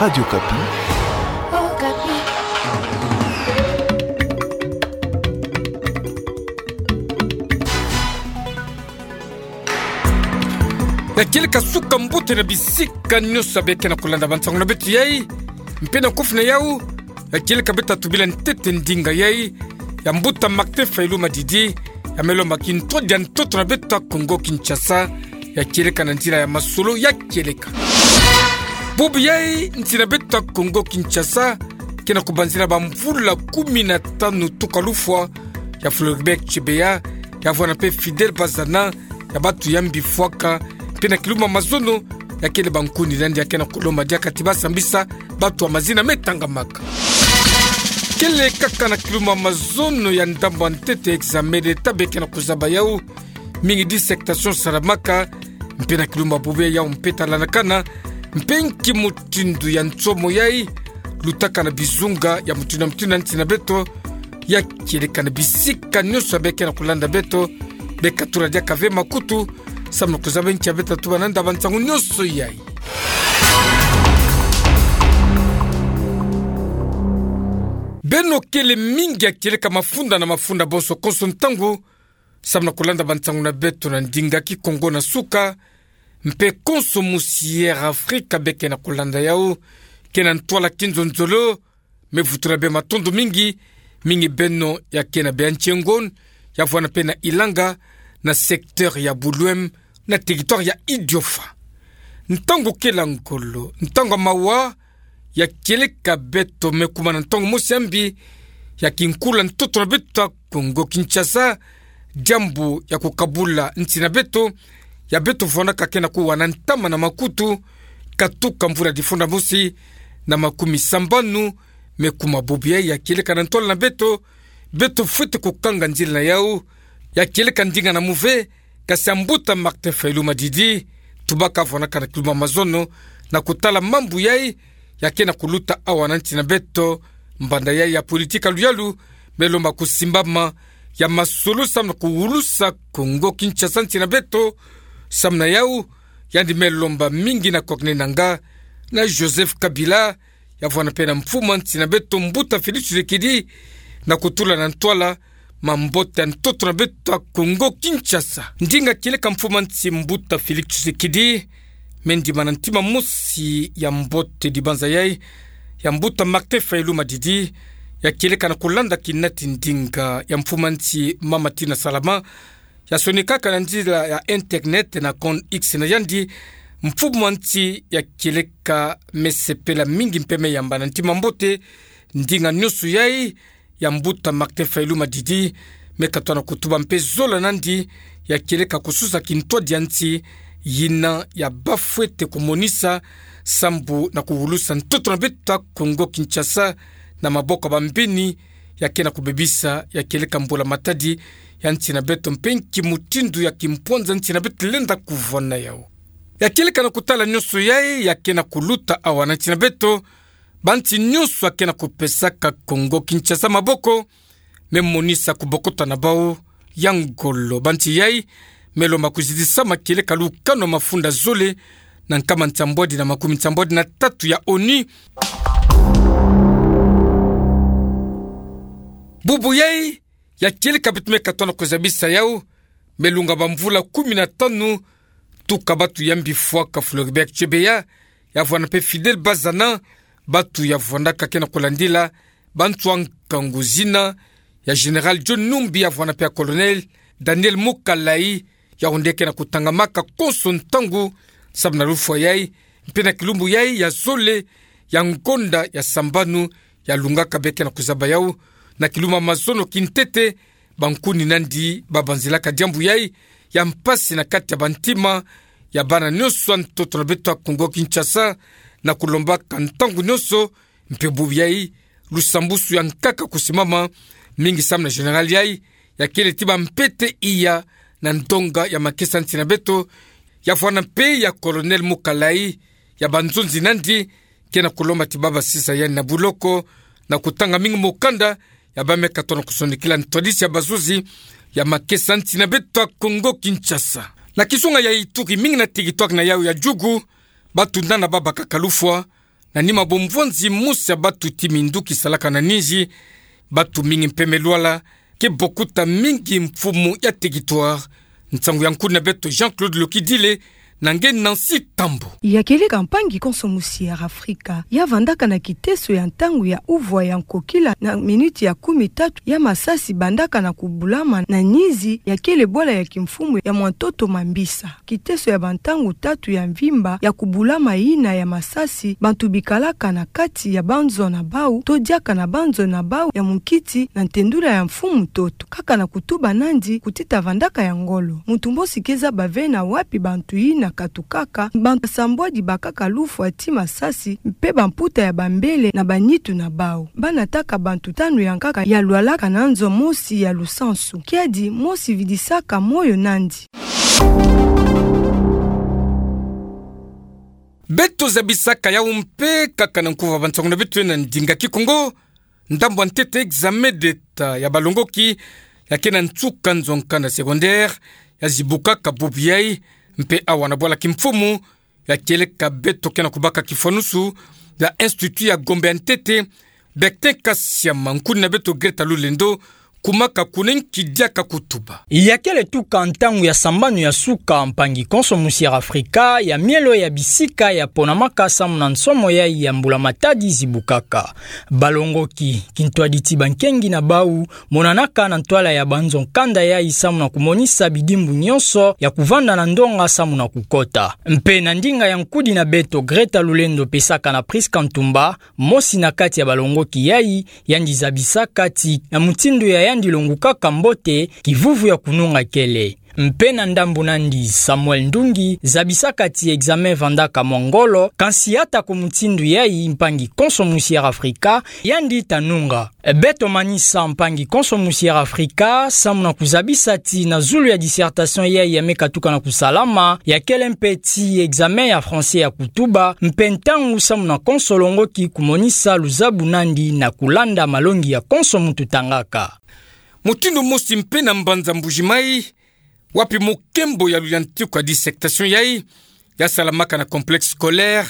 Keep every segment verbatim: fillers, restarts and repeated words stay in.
Radio Okapi. Ya kieleka suka mbote na bisika nyonso abe ke na kulanda bansango na beto yai. Mpe na kufi na yau, ya kieleka beto atubila ntete ndinga yai ya mbuta Martin Fayulu Madidi, ya me lomba kintwadi ya ntoto na beto ya Kongo Kinshasa, ya kieleka na nzila ya masolo ya kieleka. Bubu yai, nsi na beto ya Kongo Kinshasa ke na kubanzila bamvula kumi na tanu tuka lufwa ya Floribert Chebeya, ya vwanda mpe Fidèle Bazana, ya batu ya mbifwaka, mpe na kilumbu ya mazono, ya kele bankuni nandi ya ke na kulomba diaka ti ba sambisa batu ya mazina me tangamaka. Kele kaka na kilumbu ya mazono ya ndambu ya ntete, examen d'État be ke na kuzaba yau, mingi dissertation salamaka, mpe na kilumbu ya bubu yai yau mpe talandakana mpe nki mutindu ya nsomo yai lutaka na bizunga ya mutindu na mutindu ya nsi na beto, ya kieleka na bisika nyonso abe ke na kulanda beto, be katula diaka ve makutu, samu na kuzaba nki ya beto atuba nanda bansango nyonso yai. Beno kele mingi ya kieleka mafunda na mafunda bonso konso ntangu, samu na kulanda bansango na beto na ndinga Kikongo na suka, mpe konso musi Air Afrika be ke na kulanda yau, ke na ntwala kinzonzolo, me vutula be matondo mingi, mingi beno ya ke na Béantiengon, ya vwanda mpe na Ilanga, na secteur ya Buluem, na territoire ya Idiofa. Ntangu kele ngolo, ntangu ya mawa, ya kieleka beto me kuma na ntangu mosi ya mbi ya kinkula ntoto na beto ya Kongo Kinshasa, diambu ya kukabula nsi na beto, ya beto vwandaka ke na kuwa na ntama na makutu, katuka mvula difunda mosi na makumi sambanu, me kuma bubu yai ya kieleka na ntwala na beto, beto fwete kukanga nzila na yau, ya kieleka ndinga na muve, kasi ya mbuta Martin Fayulu Madidi, tubaka vwandaka na kilumbu ya mazono, na kutala mambu yai ya ke na kuluta awa na nsi na beto, mbanda yai ya politika luyalu me lomba kusimbama, ya masolo samu na kuwulusa Kongo Kinshasa nsi na beto, samu na yau, yandi me lomba mingi na Corneille Nangaa, na Joseph Kabila, ya vwanda mpe na mfumu a nsi na beto mbuta Félix Tshisekedi, na kutula na ntwala mambote ya ntoto na beto ya Kongo Kinshasa. Ndinga kieleka mfumu a nsi mbuta Félix Tshisekedi, me ndima na ntima mosi ya mbote dibanza yai ya mbuta Martin Fayulu Madidi, ya kieleka na kulanda kinati ndinga ya mfumu a nsi mama Tina Salama, ya sonikaka na nzila ya internet na compte X na yandi, mfumu a nsi ya kieleka me sepela mingi mpe me yamba na ntima mbote ndinga nyonso yai ya mbuta Martin Fayulu Madidi, me katoa na kutuba mpe zola nandi ya kieleka kususa kintwadi ya nsi, yina ya ba fwete kumonisa sambu na kuwulusa ntoto na beto ya Kongo Kinshasa na maboko ya bambeni ya ke na kubebisa ya kieleka mbula matadi ya nsi na beto mpe nki mutindu ya kimpwanza nsi na beto lenda kuvwanda yau. Ya kieleka na kutala nyonso yai ya ke na kuluta awa na nsi na beto, bansi nyonso ya ke na kupesaka Kongo Kinshasa maboko, me monisa kubokota na bau ya ngolo. Bansi yai me lomba kuzidisama kieleka lukanu ya mafunda zole na nkama nsambwadi na makumi nsambwadi na tatu ya ONU. Bubu yai, ya kieleka beto me katoa na kuzabisa yau, me lunga bamvula kumi na tanu tuka batu ya mbifwaka Floribert Chebeya, ya vwanda mpe Fidèle Bazana, batu ya vwandaka ke na kulandila bantu ya nkangu zina ya Général John Numbi, ya vwanda mpe ya Colonel Daniel Mukalayi, yau nde ke na kutangamaka konso ntangu, samu na lufwa yai, mpe na kilumbu yai ya zole ya ngonda ya sambanu, ya lungaka be ke na kuzaba yau, na kilumbu ya mazono kintete, bankuni nandi ba banzilaka diambu yai ya mpasi na kati ya bantima ya bana nyonso ya ntoto na beto ya Kongo Kinshasa, na kulombaka ntangu nyonso, mpe bubu yai, lusambusu ya nkaka kusimama, mingi samu na Général yai, ya kele ti ba mpete iya na ndonga ya makesa nsi na beto, ya vwanda mpe ya Colonel Mukalayi, ya banzonzi nandi, ke na kulomba ti ba basisa yandi na buloko, na kutanga mingi mukanda ya ba me katoa na kusonikila ntwadisi ya bazuzi ya makesa nsi na beto ya Kongo Kinshasa. Na kizunga ya Ituri, mingi na territoire na yau ya Djugu, batu nana ba bakaka lufwa, na ni mabomvonzi mosi ya batuti mindu ki salaka na ninzi, batu mingi mpe me lwala, ke bokuta mingi mfumu ya teritware. Nsangu ya nkuni na beto Jean-Claude Lokidile, na nge Nancy Tambo. Ya kieleka mpangi konso musi ya Afrika, ya vandaka na kiteso ya ntangu ya uvwa ya nkokila na minuti ya kumi tatu ya masasi bandaka na kubulama na ninzi, ya kele bwala ya kimfumu ya Mwantoto Mambisa. Kiteso ya bantangu tatu ya mvimba ya kubulama yina ya masasi, bantu bikalaka na kati ya banzo na bau, to diaka na banzo na bau ya munkiti na ntendula ya mfumu ntoto. Kaka na kutuba nandi, kutita vandaka ya ngolo. Muntu mosi ke zaba ve na wapi bantu yina katukaka, bantu basambwadi bakaka lufwa ti masasi, mpe bamputa ya bambele na banitu na bau. Ba nataka bantu tanu ya nkaka ya lwalaka na nzo mosi ya lusansu. Kiadi mosi vidisaka moyo nandi. Beto zabisaka yau mpe kaka na nkuva bansangu na beto na ndinga Kikongo. Ndambu ya ntete examen d'État ya balongoki ya ke na nsuka nzo nkanda secondaire ya zibukaka bubu yai, mpe awa na bwala kimfumu ya kieleka beto ke na kubaka kifwanusu ya Institut ya Gombe ya ntete, Bertin Kasiama, nkuni na beto Greta Lulendo, kumaka kuna nki diaka kutuba. Ya kele tuka ntangu ya sambanu ya suka, mpangi konso musi ya Afrika, ya mielo ya bisika ya ponamaka samu na nsomo yai ya mbula matadi zibukaka. Balongoki, kintwaditi bankengi na bau, monanaka na ntwala ya banzo nkanda yai samu na kumonisa bidimbu nyonso ya kuvanda na ndonga samu na kukota. Mpe na ndinga ya nkuni na beto Greta Lulendo pesaka na Prisca Ntumba, mosi na kati ya balongoki yai, yandi zabisaka ti na mutindu ya yandi longukaka mbote, kivuvu ya kununga kele. Mpe na ndambu nandi Samuel Ndungi zabisaka ti examen vandaka mwa ngolo, kansi ata ko mutindu yai, mpangi konso musi ya Afrika, yandi ta nunga. Beto manisa mpangi konso musi ya Afrika samu na kuzabisa ti na zulu ya dissertation yai ya me katuka na kusalama, ya kele mpe ti examen ya français ya kutuba, mpe ntangu samu na konso longoki kumonisa luzabu nandi na kulanda malongi ya konso muntu tangaka. Mutindu mosi mpe na mbanza Mbuji-Mayi, wapi mukembo ya luyantiku ya dissertation yai ya salamaka na complexe scolaire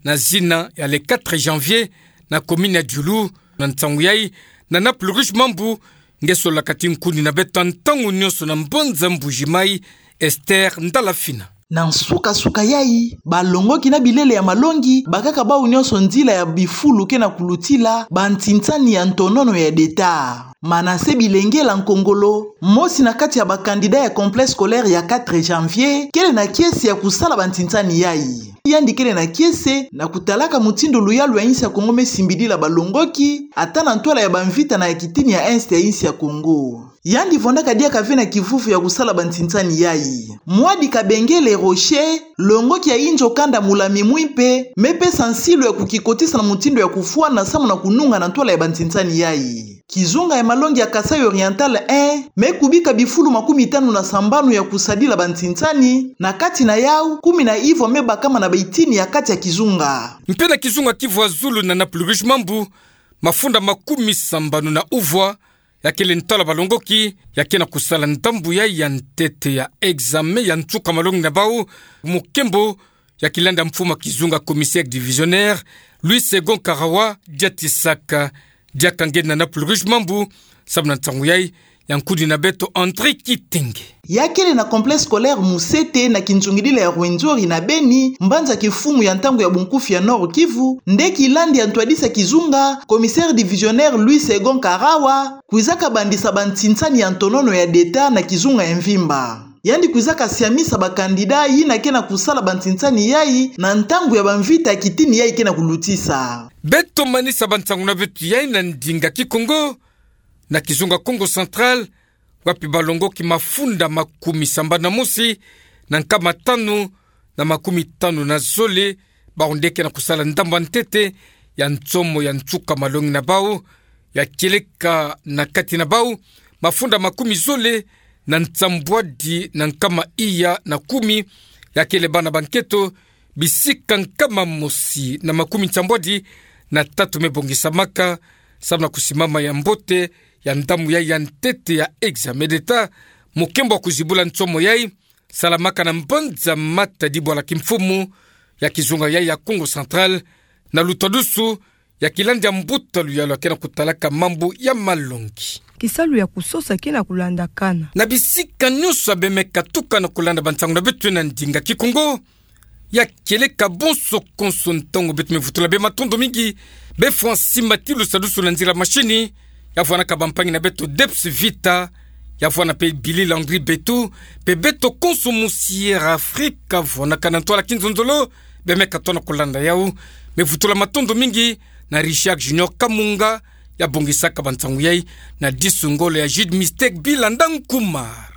na zina ya Le Quatre Janvier na commune ya Diulu. Na nsangu yai, na Naples Rouge Mambu, nge solaka ti nkuni na beto ntangu nyonso na mbanza Mbuji-Mayi, Esther Ndalafina. Na nsuka-suka yai, balongoki na bilele ya malongi bakaka bau nyonso nzila ya bifulu ke na kulutila bantinsani ya ntonono ya d'État. Manase Bilengela Nkongolo, mosi na kati ya ba candidat ya complexe scolaire ya Quatre Janvier, kele na kiese ya kusala bantinsani yai. Yandi kele na kiese na kutalaka mutindu luyalu ya insi ya Kongo me simbidila balongoki, ata na ntwala ya bamvita na ya kitini ya Est ya insi ya Kongo. Yandi vondaka diaka ve na kivuvu ya kusala bantinsani yai. Mwadi Kabengele Rocher, longoki ya inzo kanda Mula Mimui mpe, me pesa nsilu ya kukikotisa na mutindu ya kufwana samu na kununga na ntwala ya bantinsani yai. Kizunga ya malongi ya Kasaï Oriental un, me kubika bifulu makumi tanu na sambanu ya kusadila bantinsani, na kati na yau, kumi na ivwa me bakama na baitini ya kati ya kizunga. Mpe na kizunga Kivu ya zulu na Naples Rouge Mambu, mafunda makumi sambanu na uvwa, ya kele ntwala balongoki ya ke na kusala ndambu yai ya ntete ya examen ya nsuka malongi na bau, mukembo ya kilanda mfumu ya kizunga commissaire divisionnaire, Louis Segond Karawa, diatisaka diaka nge na Naples Rouge Mambu, samu na nsangu yai ya nkuni na beto André Kitenge. Ya kele na complexe scolaire Musete na kinzungidila ya Rwenzori na Beni, mbanza kimfumu ya ntangu ya bunkufi ya Nord Kivu, nde kilandi ya ntwadisi ya kizunga, commissaire divisionnaire Louis Segond Karawa, kwizaka bandisa bantinsani ya ntonono ya d'État na kizunga ya mvimba. Yandi kwizaka siamisa ba candidat yina ke na kusala bantinsani yai na ntangu ya bamvita ya kitini yai ke na kulutisa. Beto manisa bansangu na beto yai na ndinga Kikongo, na kizunga Kongo Central, wapi balongoki mafunda makumi sambanu na mosi na nkama tanu na makumi tanu na zole, bau nde ke na kusala ndambu ya ntete ya nsomo ya nsuka malongi na bau, ya kieleka na kati na bau mafunda makumi zole na nsambwadi na nkama iya na kumi, ya kele bana ba nketo, bisika nkama mosi na makumi nsambwadi na tatu me bongisamaka, samu na kusimama ya mbote ya ndambu yai ya ntete ya examen d'État. Mukembo wa kuzibula nsomo yai salamaka na mbanza Matadi bwala kimfumu ya kizunga yai ya Kongo Central, Na luta dusu, ya kilandi ya mbuta luyalu ya ke na kutalaka mambu ya malongi. Kisalu ya kusosa ke na kulandakana. Na bisika nyonso ya bemeka tukana kulanda bansangu na beto na ndinga Kikongo, ya kieleka bonso konso ntangu beto mevutula bê matondo mingi, bê Francis Matilusa dusu na nzila mashini, ya vwanaka bampangi na beto Debs Vita, ya vwana pe Billy Landry Betu, pe beto konso mu Sierra Africa, vwanaka na ntwala kinzonzolo, bemeka tona kulanda yau. Mevutula matondo mingi na Richard Junior Kamunga, ya bongisaka bansangu yai, na disu ngolo ya Jude Mistake Bilanda Nkuma.